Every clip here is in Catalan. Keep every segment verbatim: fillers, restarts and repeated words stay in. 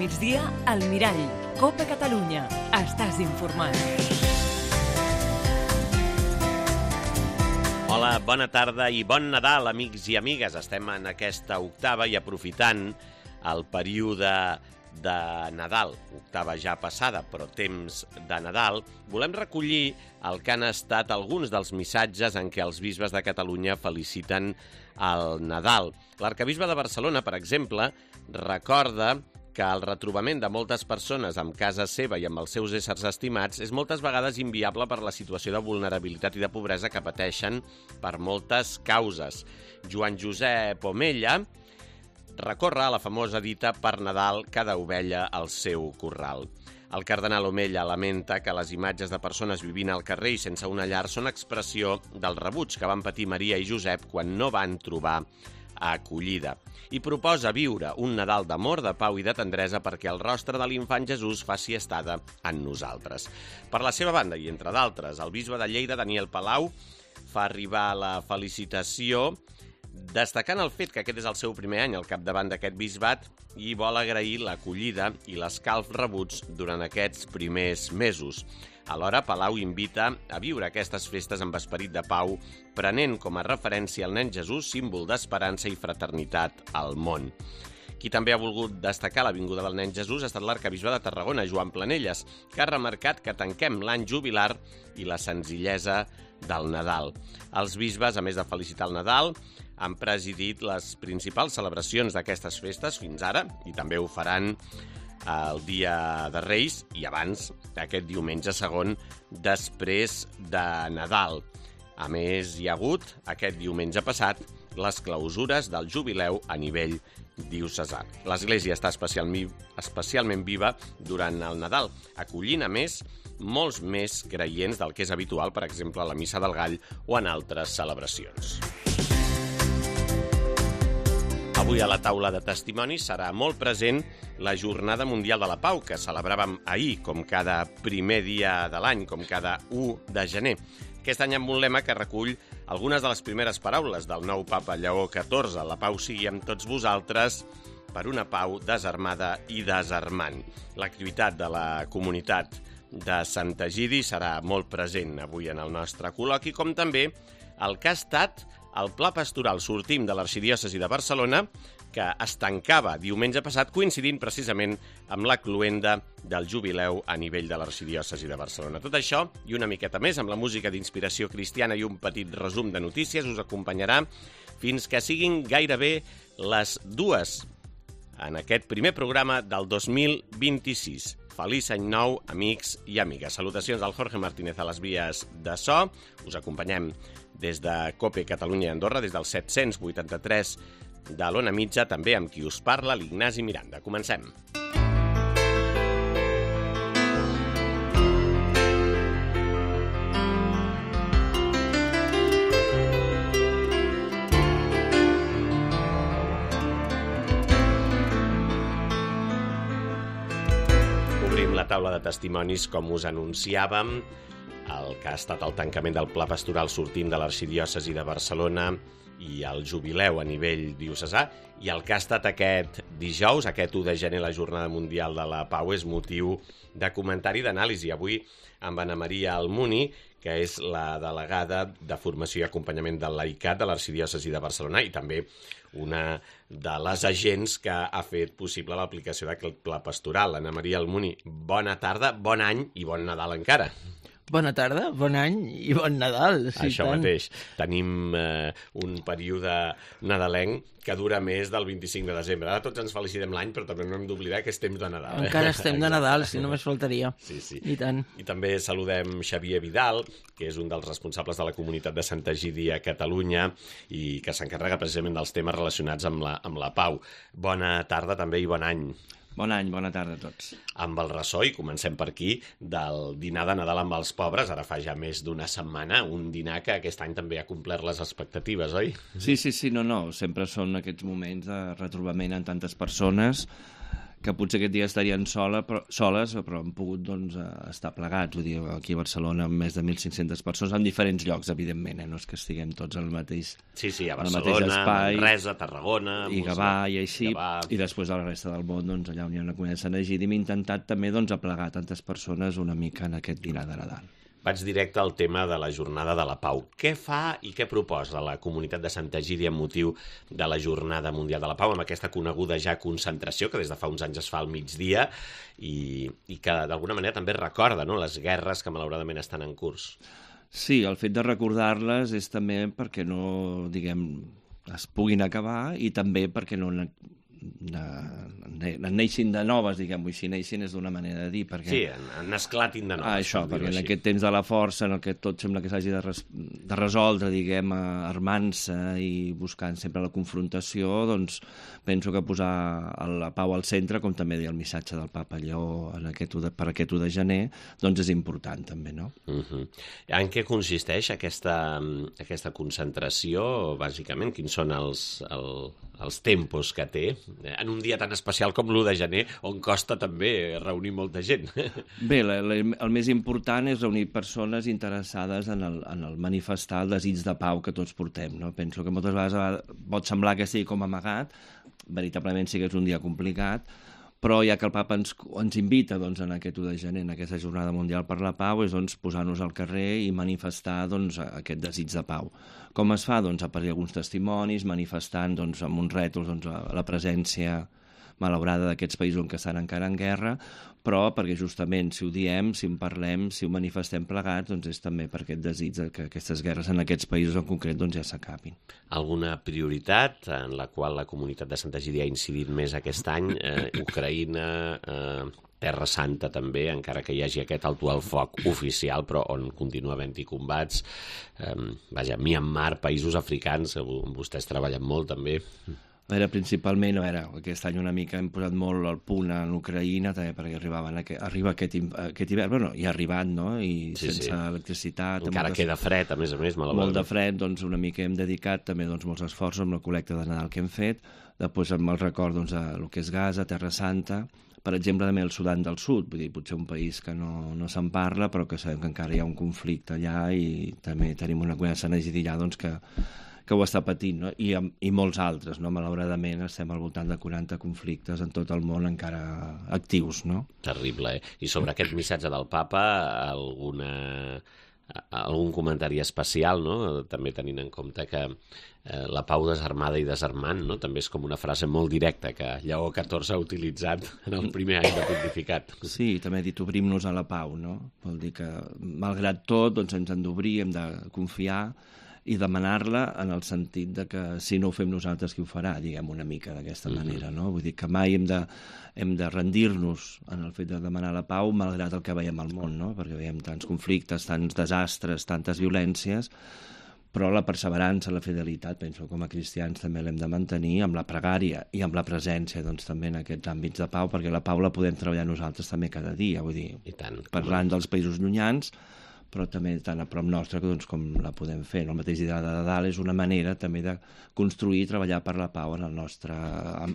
migdia, al Mirall. Copa Catalunya. Estàs informat. Hola, bona tarda i bon Nadal, amics i amigues. Estem en aquesta octava i aprofitant el període de Nadal, octava ja passada, però temps de Nadal, volem recollir el que han estat alguns dels missatges en què els bisbes de Catalunya feliciten el Nadal. L'arcabisbe de Barcelona, per exemple, recorda que el retrobament de moltes persones amb casa seva i amb els seus éssers estimats és moltes vegades inviable per la situació de vulnerabilitat i de pobresa que pateixen per moltes causes. Joan Josep Omella recorre a la famosa dita per Nadal cada ovella al seu corral. El cardenal Omella lamenta que les imatges de persones vivint al carrer i sense una llar són expressió del rebuig que van patir Maria i Josep quan no van trobar acollida, i proposa viure un Nadal d'amor, de pau i de tendresa perquè el rostre de l'infant Jesús faci estada en nosaltres. Per la seva banda, i entre d'altres, el bisbe de Lleida, Daniel Palau, fa arribar la felicitació destacant el fet que aquest és el seu primer any al capdavant d'aquest bisbat i vol agrair l'acollida i l'escalf rebuts durant aquests primers mesos. Alhora, Palau invita a viure aquestes festes amb esperit de pau, prenent com a referència el nen Jesús, símbol d'esperança i fraternitat al món. Qui també ha volgut destacar la vinguda del nen Jesús ha estat l'arcabisbe de Tarragona, Joan Planelles, que ha remarcat que tanquem l'any jubilar i la senzillesa del Nadal. Els bisbes, a més de felicitar el Nadal, han presidit les principals celebracions d'aquestes festes fins ara i també ho faran el dia de Reis i abans, aquest diumenge segon, després de Nadal. A més, hi ha hagut, aquest diumenge passat, les clausures del jubileu a nivell diocesà. L'Església està especialment, especialment viva durant el Nadal, acollint, a més, molts més creients del que és habitual, per exemple, a la Missa del Gall o en altres celebracions. Avui a la taula de testimonis serà molt present la Jornada Mundial de la Pau, que celebràvem ahir, com cada primer dia de l'any, com cada u de gener. Aquest any amb un lema que recull algunes de les primeres paraules del nou papa Lleó catorze. La pau sigui amb tots vosaltres per una pau desarmada i desarmant. L'activitat de la comunitat de Sant Egidi serà molt present avui en el nostre col·loqui, com també el que ha estat el Pla Pastoral Sortim de l'Arxidiòcesi de Barcelona, que es tancava diumenge passat, coincidint precisament amb la cloenda del jubileu a nivell de l'Arxidiòcesi de Barcelona. Tot això i una miqueta més, amb la música d'inspiració cristiana i un petit resum de notícies, us acompanyarà fins que siguin gairebé les dues en aquest primer programa del dos mil vint-i-sis. Feliç any nou, amics i amigues. Salutacions del Jorge Martínez a les vies de so. Us acompanyem des de Cope Catalunya i Andorra, des del set-cents vuitanta-tres de l'Ona Mitja, també amb qui us parla, l'Ignasi Miranda. Comencem. Obrim la taula de testimonis, com us anunciàvem, el que ha estat el tancament del Pla Pastoral Sortim de l'Arxidiòcesi de Barcelona i el jubileu a nivell diocesà, i el que ha estat aquest dijous, aquest u de gener, la Jornada Mundial de la Pau, és motiu de comentari i d'anàlisi. Avui amb Anna Maria Almuni, que és la delegada de Formació i Acompanyament del Laicat de l'Arxidiòcesi de Barcelona i també una de les agents que ha fet possible l'aplicació d'aquest pla pastoral. Anna Maria Almuni, bona tarda, bon any i bon Nadal encara. Bona tarda, bon any i bon Nadal. Sí, Això tant. mateix. Tenim eh, un període nadalenc que dura més del vint-i-cinc de desembre. Ara tots ens felicitem l'any, però també no hem d'oblidar que és temps de Nadal. Eh? Encara estem de Nadal, si només faltaria. Sí, sí. I tant. I també saludem Xavier Vidal, que és un dels responsables de la comunitat de Sant Egidi a Catalunya i que s'encarrega precisament dels temes relacionats amb la, amb la pau. Bona tarda també i bon any. Bon any, bona tarda a tots. Amb el ressò, i comencem per aquí, del dinar de Nadal amb els pobres, ara fa ja més d'una setmana, un dinar que aquest any també ha complert les expectatives, oi? Sí, sí, sí, no, no, sempre són aquests moments de retrobament en tantes persones que potser aquest dia estarien sola, però, soles, però han pogut doncs, estar plegats. Vull dir, aquí a Barcelona amb més de mil cinc-centes persones, en diferents llocs, evidentment, eh? No és que estiguem tots al mateix Sí, sí, a al mateix Barcelona, espai, Manresa, Tarragona... i Gavà, i així, Gavà. i després a la resta del món, doncs, allà on hi ha una comunitat de Sant Egidi, hem intentat també doncs, aplegar tantes persones una mica en aquest dinar de Nadal. Vaig directe al tema de la Jornada de la Pau. Què fa i què proposa la comunitat de Sant Egidi amb motiu de la Jornada Mundial de la Pau, amb aquesta coneguda ja concentració que des de fa uns anys es fa al migdia i, i que d'alguna manera també recorda, no?, les guerres que malauradament estan en curs? Sí, el fet de recordar-les és també perquè no, diguem, es puguin acabar i també perquè no ne, ne, neixin de noves, diguem-ho així, neixin és d'una manera de dir. Perquè... Sí, en, en esclatin de noves. Ah, això, perquè en aquest temps de la força, en el que tot sembla que s'hagi de, res, de resoldre, diguem, armant-se i buscant sempre la confrontació, doncs penso que posar la pau al centre, com també deia el missatge del Papa Lleó en aquest, per aquest u de gener, doncs és important també, no? Uh-huh. En què consisteix aquesta, aquesta concentració, bàsicament? Quins són els, el, els tempos que té en un dia tan especial com l'u de gener, on costa també reunir molta gent? Bé, la, la, el més important és reunir persones interessades en el, en el manifestar el desig de pau que tots portem, no? Penso que moltes vegades pot semblar que sigui com amagat, veritablement sí que és un dia complicat, però ja que el Papa ens, ens invita doncs, en aquest u de gener, en aquesta Jornada Mundial per la Pau, és doncs, posar-nos al carrer i manifestar doncs, aquest desig de pau. Com es fa? Doncs, a partir d'alguns testimonis, manifestant doncs, amb uns rètols doncs, la presència malaurada d'aquests països en què estan encara en guerra, però perquè justament si ho diem, si en parlem, si ho manifestem plegats, doncs és també per aquest desig que aquestes guerres en aquests països en concret doncs, ja s'acabin. Alguna prioritat en la qual la comunitat de Sant Egidi ha incidit més aquest any? Eh, Ucraïna, eh, Terra Santa també, encara que hi hagi aquest alto al foc oficial, però on continua havent-hi combats. Eh, vaja, Myanmar, països africans, on vostès treballen molt també. A veure, principalment, a veure, aquest any una mica hem posat molt al punt en Ucraïna, també perquè arribaven aquest, arriba aquest, aquest hivern, bueno, i ha arribat, no?, i sí, sense sí. electricitat... Encara moltes... queda fred, a més a més, malauradament. Molt de fred, doncs una mica hem dedicat també doncs, molts esforços amb la col·lecta de Nadal que hem fet, després amb el record doncs, a el que és Gaza, Terra Santa, per exemple, també el Sudan del Sud, vull dir, potser un país que no, no se'n parla, però que sabem que encara hi ha un conflicte allà i també tenim una comunitat de Sant Egidi allà, doncs, que que ho està patint, no? I, i molts altres, no? Malauradament estem al voltant de quaranta conflictes en tot el món encara actius, no? Terrible, eh? I sobre aquest missatge del Papa, alguna, algun comentari especial, no? També tenint en compte que eh, la pau desarmada i desarmant, no? També és com una frase molt directa que Lleó catorze ha utilitzat en el primer any de pontificat. Sí, també ha dit obrim-nos a la pau, no? Vol dir que, malgrat tot, doncs ens hem d'obrir, hem de confiar i demanar-la en el sentit de que si no ho fem nosaltres, qui ho farà, diguem una mica d'aquesta mm-hmm. manera, no? Vull dir que mai hem de, hem de rendir-nos en el fet de demanar la pau malgrat el que veiem al món, no? Perquè veiem tants conflictes, tants desastres, tantes violències, però la perseverança, la fidelitat, penso com a cristians també l'hem de mantenir amb la pregària i amb la presència doncs, també en aquests àmbits de pau, perquè la pau la podem treballar nosaltres també cada dia, vull dir, I tant. Parlant dels països llunyans, però també tan a prop nostre doncs, com la podem fer. El mateix dia de Nadal és una manera també de construir i treballar per la pau en el nostre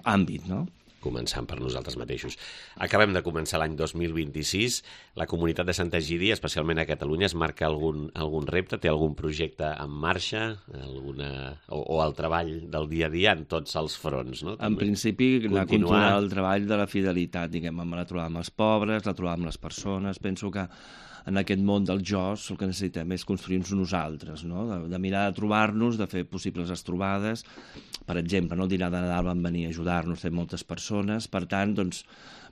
àmbit, no? Començant per nosaltres mateixos. Acabem de començar l'any dos mil vint-i-sis. La comunitat de Sant Egidi, especialment a Catalunya, es marca algun, algun repte? Té algun projecte en marxa? Alguna... O, o el treball del dia a dia en tots els fronts, no? També. En principi, anar a continuar el treball de la fidelitat, diguem, la trobada amb els pobres, la trobada amb les persones. Penso que en aquest món del jo el que necessitem és construir-nos nosaltres, no? de, de mirar de trobar-nos, de fer possibles les trobades. Per exemple, no? El dinar de Nadal van venir a ajudar-nos, té moltes persones, per tant, doncs,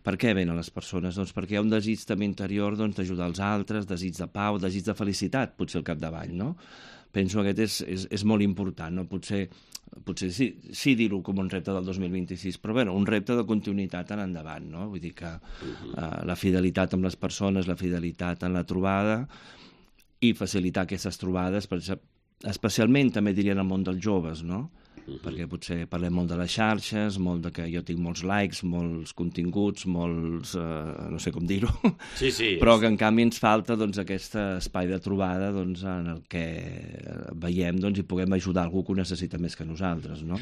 per què venen les persones? Doncs perquè hi ha un desig també interior doncs, d'ajudar els altres, desig de pau, desig de felicitat, potser al capdavall, no? Penso que aquest és, és, és molt important, no? Potser, potser sí, sí dir-ho com un repte del dos mil vint-i-sis, però bueno, un repte de continuïtat en endavant, no? Vull dir que uh, la fidelitat amb les persones, la fidelitat en la trobada i facilitar aquestes trobades, per, especialment també diria en el món dels joves, no? Uh-huh. Perquè potser parlem molt de les xarxes, molt de que jo tinc molts likes, molts continguts, molts... Eh, no sé com dir-ho. Sí, sí. Però que en canvi ens falta doncs, aquest espai de trobada doncs, en el que veiem doncs, i puguem ajudar algú que ho necessita més que nosaltres, no?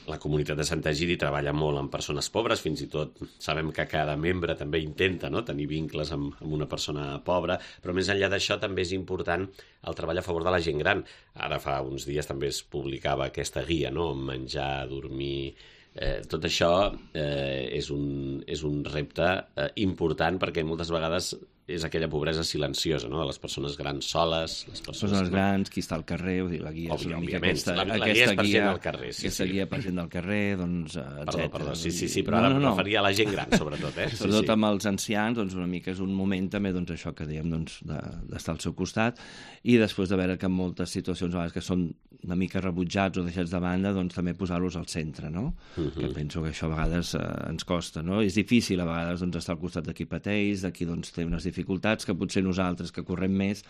La comunitat de Sant Egidi treballa molt amb persones pobres, fins i tot sabem que cada membre també intenta, no?, tenir vincles amb, amb una persona pobra, però més enllà d'això també és important el treball a favor de la gent gran. Ara fa uns dies també es publicava aquesta guia, no?, menjar, dormir... Eh, tot això eh, és, un, és un repte eh, important perquè moltes vegades és aquella pobresa silenciosa, no?, de les persones grans soles, les persones, persones no? grans, qui està al carrer, vull dir, la guia és una mica aquesta, la, la aquesta guia és per guia, gent al carrer, sí, aquesta sí. guia per gent del carrer, doncs, Perdó, etcètera. perdó, sí, sí, sí, però ara no, no, no. em referia a la gent gran, sobretot, eh? Sí, sobretot sí. amb els ancians, doncs una mica és un moment també, doncs això que dèiem, doncs, d'estar al seu costat, i després de veure que en moltes situacions a vegades que són una mica rebutjats o deixats de banda, doncs també posar-los al centre, no? Uh-huh. Que penso que això a vegades eh, ens costa, no? És difícil a vegades doncs, estar al costat de qui pateix, de qui doncs, té unes dificultats que potser nosaltres que correm més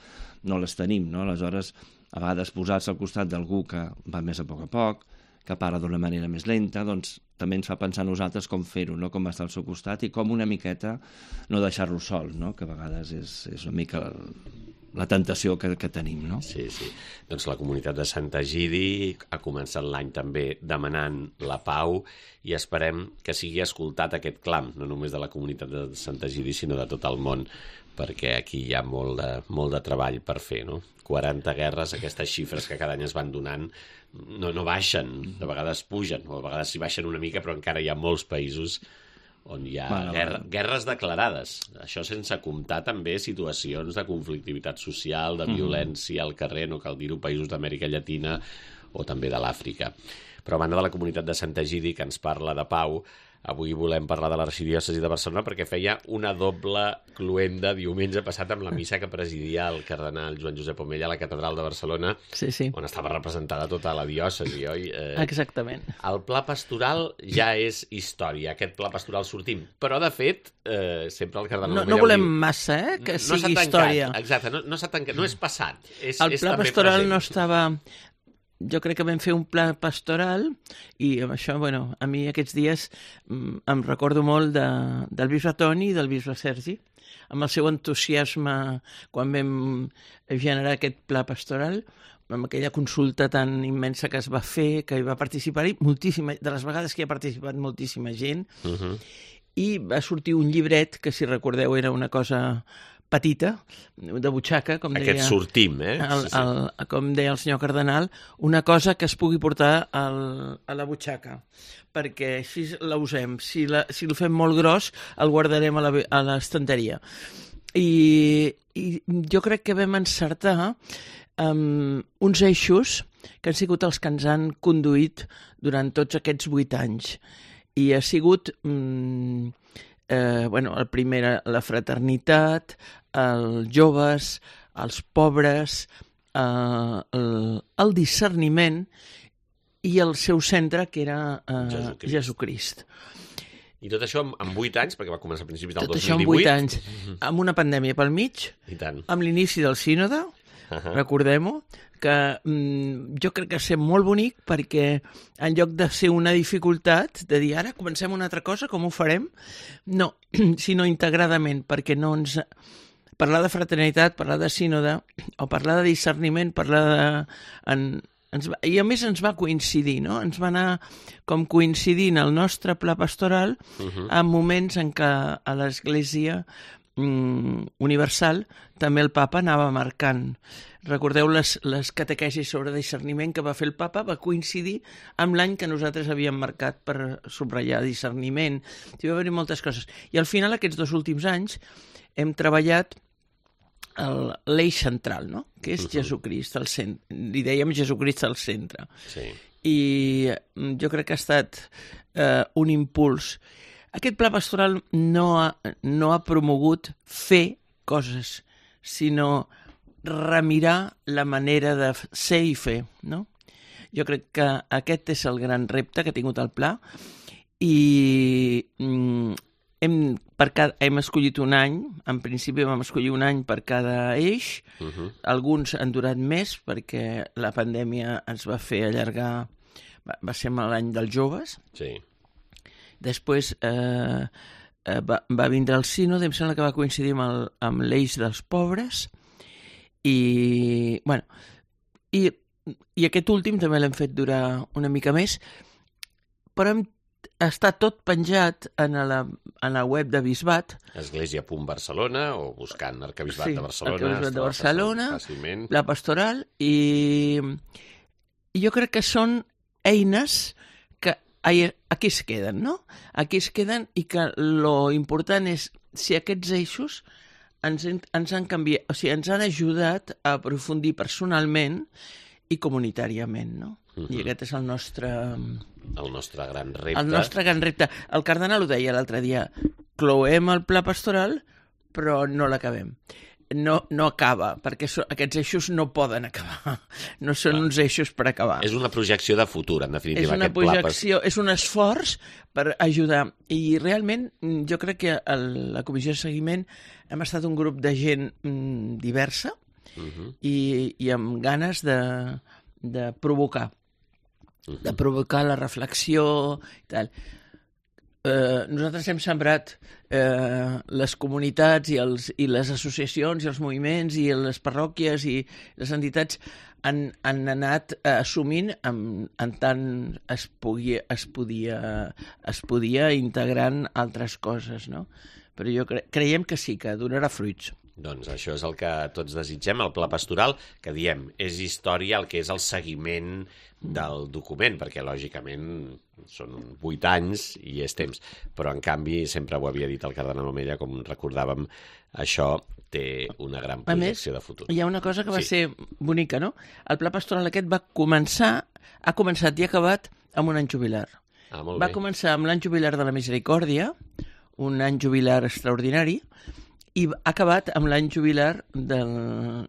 no les tenim, no? Aleshores, a vegades posar-se al costat d'algú que va més a poc a poc, que parla d'una manera més lenta, doncs també ens fa pensar nosaltres com fer-ho, no?, com estar al seu costat i com una miqueta no deixar-lo sol, no?, que a vegades és, és una mica la, la tentació que, que tenim, no? Sí, sí. Doncs la comunitat de Sant Egidi ha començat l'any també demanant la pau i esperem que sigui escoltat aquest clam, no només de la comunitat de Sant Egidi, sinó de tot el món, perquè aquí hi ha molt de, molt de treball per fer, no? quaranta guerres, aquestes xifres que cada any es van donant, no, no baixen, de vegades pugen, o a vegades s'hi baixen una mica, però encara hi ha molts països on hi ha bueno, guerra, bueno. guerres declarades. Això sense comptar també situacions de conflictivitat social, de violència al carrer, no cal dir-ho, països d'Amèrica Llatina o també de l'Àfrica. Però a banda de la comunitat de Sant Egidi, que ens parla de pau, avui volem parlar de l'Arxidiòcesi de Barcelona perquè feia una doble cluenda diumenge passat amb la missa que presidia el cardenal Joan Josep Omella a la Catedral de Barcelona, sí, sí. on estava representada tota la diòcesi, oi? Eh, Exactament. El pla pastoral ja és història, aquest pla pastoral sortim, però de fet eh, sempre el cardenal no, Omella... No volem diu, massa, eh, que no sigui tancat, història. Exacte, no, no s'ha tancat, no és passat, és, el és pla també pastoral present. no estava... Jo crec que vam fer un pla pastoral i amb això, bueno, a mi aquests dies mm, em recordo molt de, del bisbe Toni i del bisbe Sergi, amb el seu entusiasme quan vam generar aquest pla pastoral, amb aquella consulta tan immensa que es va fer, que hi va participar-hi moltíssima, de les vegades que hi ha participat moltíssima gent, uh-huh. i va sortir un llibret que, si recordeu, era una cosa petita, de butxaca, com Aquest deia... sortim, eh? El, sí, sí. el, com deia el senyor cardenal, una cosa que es pugui portar al, a la butxaca, perquè així la usem. Si, la, si el fem molt gros, el guardarem a l'estanteria. I, I jo crec que vam encertar um, uns eixos que han sigut els que ens han conduït durant tots aquests vuit anys. I ha sigut... Um, Eh, bueno, el primer, la fraternitat, els joves, els pobres, eh, el, el discerniment i el seu centre, que era eh, Jesucrist. Jesucrist. I tot això en vuit anys, perquè va començar a principis del tot dos mil divuit. Tot això en vuit anys, amb una pandèmia pel mig, I tant. amb l'inici del sínode, uh-huh. recordem-ho, que mm, jo crec que va ser molt bonic perquè en lloc de ser una dificultat, de dir ara comencem una altra cosa, com ho farem? No, sinó integradament, perquè no ens... Parlar de fraternitat, parlar de sínode, o parlar de discerniment, parlar de... En, ens va, i a més ens va coincidir, no? Ens va anar com coincidint el nostre pla pastoral uh-huh. en moments en què a l'Església mm, Universal també el papa anava marcant. Recordeu les, les catequesis sobre discerniment que va fer el papa, va coincidir amb l'any que nosaltres havíem marcat per subratllar discerniment. Hi va haver moltes coses. I al final, aquests dos últims anys, hem treballat l'eix central, no? Que és uh-huh. Jesucrist al centre. Li dèiem Jesucrist al centre. Sí. I jo crec que ha estat eh, un impuls. Aquest pla pastoral no ha, no ha promogut fer coses, sinó remirar la manera de ser i fer, no? Jo crec que aquest és el gran repte que ha tingut el pla i mm, hem, per cada, hem escollit un any, en principi vam escollir un any per cada eix, uh-huh. alguns han durat més perquè la pandèmia ens va fer allargar, va, va ser l'any dels joves, sí. Després eh, eh, va, va vindre el sínode, em sembla que va coincidir amb, el, amb l'eix dels pobres, i, bueno, i, i aquest últim també l'hem fet durar una mica més, però hem, està tot penjat en la, en la web de Bisbat. Església punt Barcelona, o buscant Arquebisbat sí, de Barcelona. Arquebisbat de Barcelona, fàcilment. La Pastoral, i, i jo crec que són eines que aquí es queden, no? Aquí es queden i que lo important és si aquests eixos ens, ens han canviat, o sigui, ens han ajudat a aprofundir personalment i comunitàriament, no? Uh-huh. I aquest és el nostre... El nostre gran repte. El nostre gran repte. El cardenal ho deia l'altre dia, cloem el pla pastoral, però no l'acabem. No, no acaba, perquè so, aquests eixos no poden acabar. No són Clar. uns eixos per acabar. És una projecció de futur, en definitiva. És una projecció, és un esforç per ajudar. I realment jo crec que a la comissió de seguiment hem estat un grup de gent mm, diversa uh-huh. i, i amb ganes de, de provocar. Uh-huh. De provocar la reflexió i tal. Eh, nosaltres hem sembrat eh, les comunitats i, els, i les associacions i els moviments i les parròquies i les entitats han, han anat eh, assumint en, en tant es, pugui, es, podia, es podia integrant altres coses, no? Però jo cre creiem que sí, que donarà fruits. Doncs això és el que tots desitgem, el pla pastoral, que diem, és història el que és el seguiment del document, perquè lògicament són vuit anys i és temps, però en canvi, sempre ho havia dit el cardenal Omella, com recordàvem, això té una gran projecció més, de futur. Hi ha una cosa que va sí. ser bonica, no? El pla pastoral aquest va començar, ha començat i ha acabat amb un any jubilar. Ah, molt va bé. començar amb l'any jubilar de la Misericòrdia, un any jubilar extraordinari, i ha acabat amb l'any jubilar del,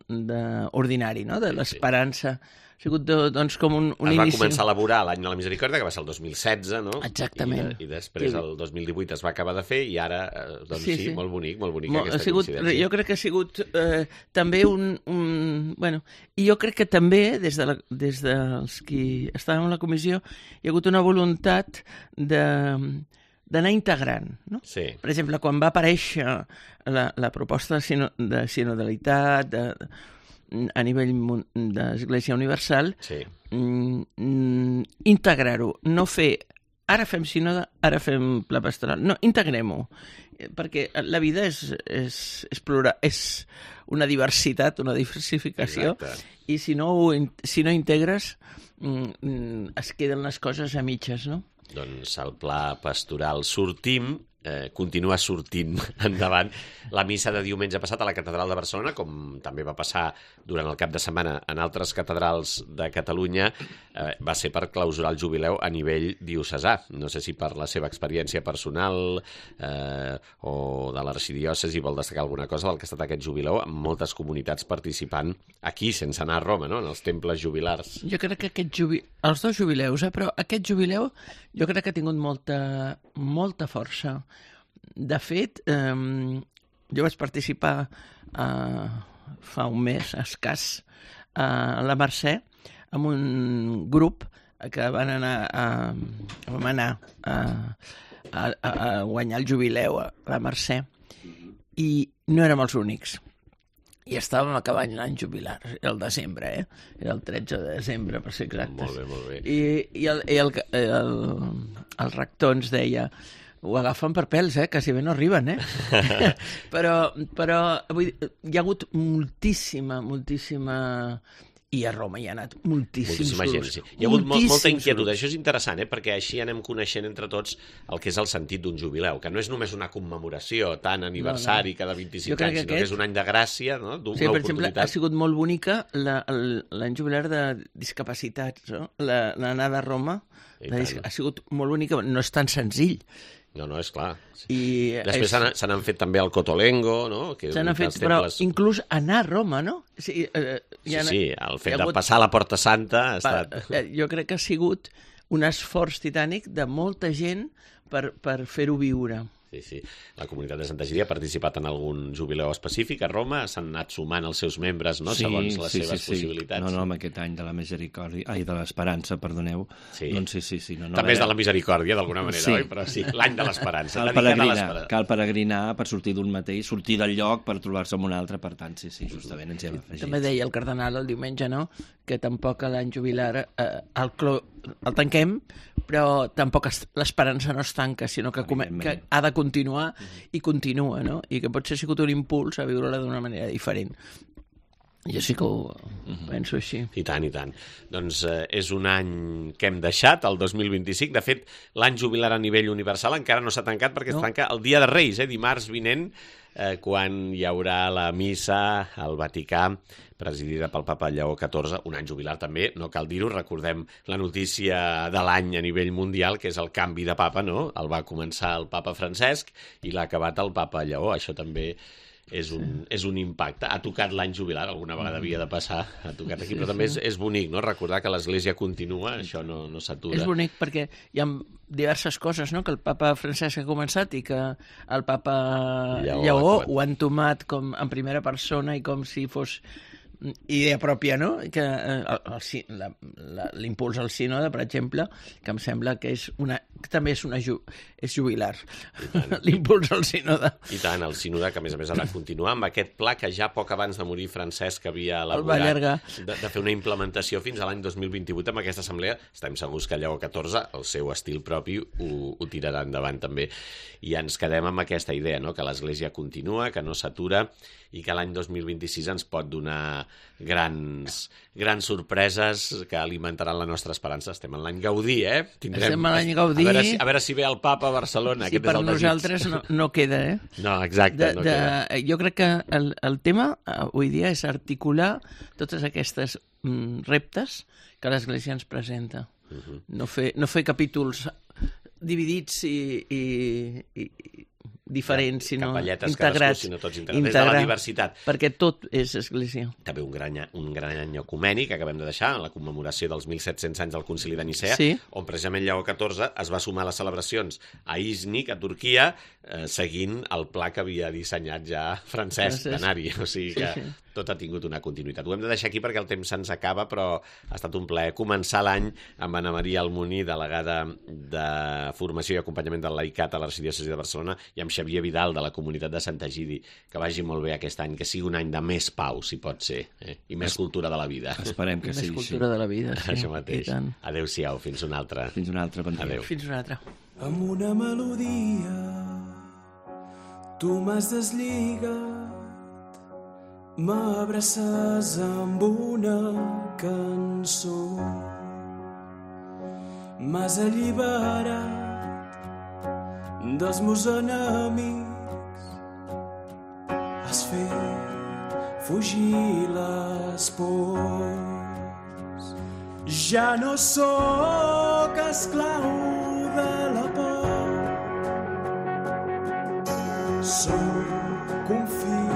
de ordinari, no? De l'esperança. Ha sigut doncs com un, un es va inici... començar a elaborar l'any de la Misericòrdia, que va ser el dos mil setze, no? Exactament. I, I després el dos mil divuit es va acabar de fer i ara, doncs sí, sí, sí. molt bonic, molt bonic molt, aquesta ha sigut, coincidència. Jo crec que ha sigut eh, també un, un... Bueno, i jo crec que també, des, de la, des dels qui estàvem a la comissió, hi ha hagut una voluntat de... d'anar integrant, no? Sí. Per exemple, quan va aparèixer la, la proposta de, sino, de sinodalitat de, de, a nivell d'Església Universal, sí. mm, integrar-ho, no fer ara fem sinoda, ara fem pla pastoral. No, integrem-ho, perquè la vida és, és, és, plural, és una diversitat, una diversificació, Exacte. i si no, si no integres mm, es queden les coses a mitges, no? Doncs el pla pastoral sortim, eh, continua sortint endavant. La missa de diumenge passat a la Catedral de Barcelona, com també va passar durant el cap de setmana en altres catedrals de Catalunya, eh, va ser per clausurar el jubileu a nivell diocesà. No sé si per la seva experiència personal eh, o de l'arxidiòcesi vol destacar alguna cosa del que ha estat aquest jubileu, amb moltes comunitats participant aquí, sense anar a Roma, no? En els temples jubilars. Jo crec que aquest jubi... els dos jubileus, eh? Però aquest jubileu jo crec que ha tingut molta, molta força. De fet, eh, jo vaig participar eh, fa un mes, escàs, eh, a la Mercè, amb un grup que van anar a, vam anar a, a, a guanyar el jubileu a la Mercè, i no érem els únics. I estàvem acabant l'any jubilar, el desembre, eh? Era el tretze de desembre, per ser exactes. Molt bé, molt bé. I, i, el, i el, el, el rector ens deia, ho agafen per pèls, eh? Quasi bé no arriben, eh? però però vull dir, hi ha hagut moltíssima, moltíssima... I a Roma hi ha anat moltíssims Moltíssima grups. Gent, sí. Hi ha hagut molt, molta inquietud. Grups. Això és interessant, eh? Perquè així anem coneixent entre tots el que és el sentit d'un jubileu, que no és només una commemoració, tant aniversari no, no. cada vint-i-cinc anys, sinó aquest... que és un any de gràcia, no? D'una sí, per oportunitat. exemple, ha sigut molt bonica l'any jubilar de discapacitats, no? L'anada a Roma la dis... ha sigut molt bonica, no és tan senzill. No, no, és clar. I Després és... se n'han fet també el Cotolengo, no? Se n'han fet, però temples... inclús anar a Roma, no? Sí, eh, sí, ha... sí, el fet hagut... de passar a la Porta Santa ha estat... Pa, jo crec que ha sigut un esforç titànic de molta gent per, per fer-ho viure. Sí, sí. La comunitat de Santa Gíria ha participat en algun jubileu específic a Roma, s'han anat sumant els seus membres, no? Sí, segons les sí, seves sí, possibilitats. No, no, amb aquest any de la misericòrdia, ai, de l'esperança, perdoneu. Sí. Doncs sí, sí, sí. No, no, També és era... de la misericòrdia, d'alguna manera, sí. oi? Però sí, l'any de l'esperança. Cal peregrinar, cal peregrinar per sortir d'un mateix, sortir del lloc per trobar-se amb un altre, per tant, sí, sí, justament ens hi hem afegit. També deia el cardenal el diumenge, no?, que tampoc l'any jubilar, eh, el, clo el tanquem, però tampoc l'esperança no es tanca, sinó que, que ha de continuar i continua, no? I que potser ha sigut un impuls a viure-la d'una manera diferent. Jo sí que ho penso així. I tant, i tant. Doncs eh, és un any que hem deixat, el dos mil vint-i-cinc. De fet, l'any jubilar a nivell universal encara no s'ha tancat perquè no. es tanca el dia de Reis, eh, dimarts vinent, eh, quan hi haurà la missa al Vaticà, presidida pel papa Lleó catorze, un any jubilar també, no cal dir-ho, recordem la notícia de l'any a nivell mundial, que és el canvi de papa, no? El va començar el papa Francesc i l'ha acabat el papa Lleó, això també és un, és un impacte. Ha tocat l'any jubilar, alguna vegada havia de passar, ha tocat aquí, però també és, és bonic, no? Recordar que l'Església continua, això no, no s'atura. És bonic perquè hi ha diverses coses, no?, que el papa Francesc ha començat i que el papa Lleó, Lleó ho ha entomat com en primera persona i com si fos idea pròpia, no? Que eh, l'impuls al sínode, per exemple, que em sembla que és una, que també és, una ju, és jubilar, l'impuls al sínode. I tant, el sínode, que a més a més ha de continuar amb aquest pla que ja poc abans de morir Francesc havia elaborat, de, de fer una implementació fins a l'any dos mil vint-i-vuit amb aquesta assemblea. Estem segurs que Lleó catorze, el seu estil propi, ho, ho tirarà endavant també. I ens quedem amb aquesta idea, no?, que l'Església continua, que no s'atura i que l'any dos mil vint-i-sis ens pot donar grans, grans sorpreses que alimentaran la nostra esperança. Estem en l'any Gaudí, eh? Tindrem... Estem en l'any Gaudí. A veure, si, a veure si ve el papa a Barcelona. Sí, per nosaltres no, no queda, eh? No, exacte, de, no de, queda. Jo crec que el, el tema avui dia és articular totes aquestes mm, reptes que l'Església ens presenta. Uh-huh. No fer, no fer capítols dividits i, i, i diferents, sinó capelletes, integrats, cadascú, sinó tots integrats, des de la diversitat. Perquè tot és església. També un gran, un gran any ecumènic que acabem de deixar, en la commemoració dels mil set-cents anys del Concili de Nicea, sí, on precisament Lleó catorze es va sumar a les celebracions a Iznik, a Turquia, eh, seguint el pla que havia dissenyat ja Francesc d'Anari. O sigui que sí, sí, tot ha tingut una continuïtat. Ho hem de deixar aquí perquè el temps se'ns acaba, però ha estat un plaer començar l'any amb Anna Maria Almoní, delegada de Formació i Acompanyament del Laicat a l'Arxidiòcesi de Barcelona, i amb Xavier Vidal, de la comunitat de Sant Egidi. Que vagi molt bé aquest any, que sigui un any de més pau, si pot ser, eh? I més es... cultura de la vida. Esperem que sigui així. Més cultura de la vida, sí. Això mateix. Adéu-siau, fins una altra. Fins una altra, bon dia. Adéu. Fins una altra. Amb una melodia tu m'has deslligat, m'abraces amb una cançó, m'has alliberat dels meus enemics, has fet fugir les pors. Ja no sóc esclau de la por, sóc un fill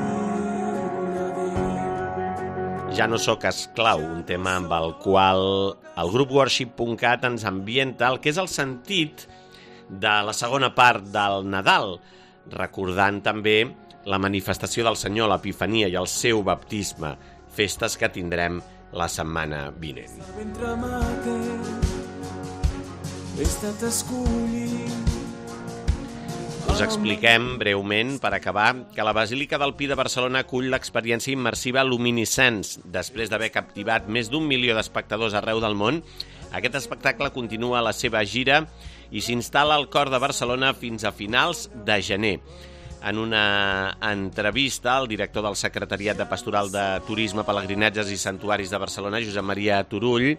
de Déu. Ja no sóc esclau, un tema amb el qual el grup worship punt cat ens ambienta el que és el sentit de la segona part del Nadal, recordant també la manifestació del Senyor, l'Epifania i el seu baptisme, festes que tindrem la setmana vinent. Ventre mater, he estat escollit. Us expliquem breument, per acabar, que la Basílica del Pi de Barcelona acull l'experiència immersiva Luminescence. Després d'haver captivat més d'un milió d'espectadors arreu del món, aquest espectacle continua la seva gira i s'instal·la al cor de Barcelona fins a finals de gener. En una entrevista, el director del Secretariat de Pastoral de Turisme, Pelegrinatges i Santuaris de Barcelona, Josep Maria Turull,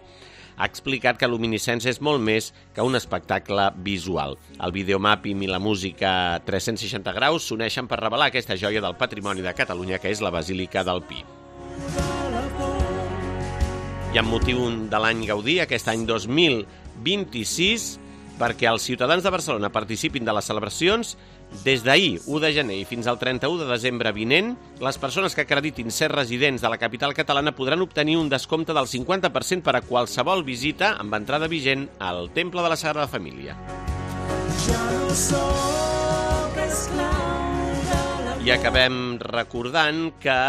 ha explicat que Luminescence és molt més que un espectacle visual. El videomàping i la música tres-cents seixanta graus s'uneixen per revelar aquesta joia del patrimoni de Catalunya, que és la Basílica del Pi. I amb motiu de l'any Gaudí, aquest any dos mil vint-i-sis, perquè els ciutadans de Barcelona participin de les celebracions, des d'ahir, u de gener, i fins al trenta-u de desembre vinent, les persones que acreditin ser residents de la capital catalana podran obtenir un descompte del cinquanta per cent per a qualsevol visita amb entrada vigent al Temple de la Sagrada Família. I acabem recordant que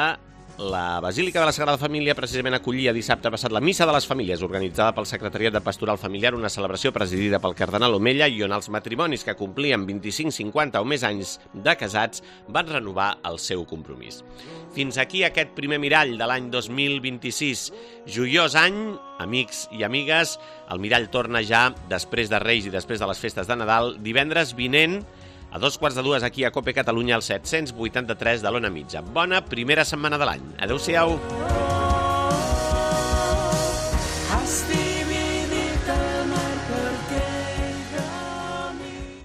La Basílica de la Sagrada Família precisament acollia dissabte passat la Missa de les Famílies, organitzada pel Secretariat de Pastoral Familiar, una celebració presidida pel cardenal Omella i on els matrimonis que complien vint-i-cinc, cinquanta o més anys de casats van renovar el seu compromís. Fins aquí aquest primer mirall de l'any dos mil vint-i-sis. Joiós any, amics i amigues. El mirall torna ja després de Reis i després de les festes de Nadal, divendres vinent, a dos quarts de dues aquí a Cope Catalunya, al set-cents vuitanta-tres de l'Ona Mitja. Bona primera setmana de l'any. Adéu-siau.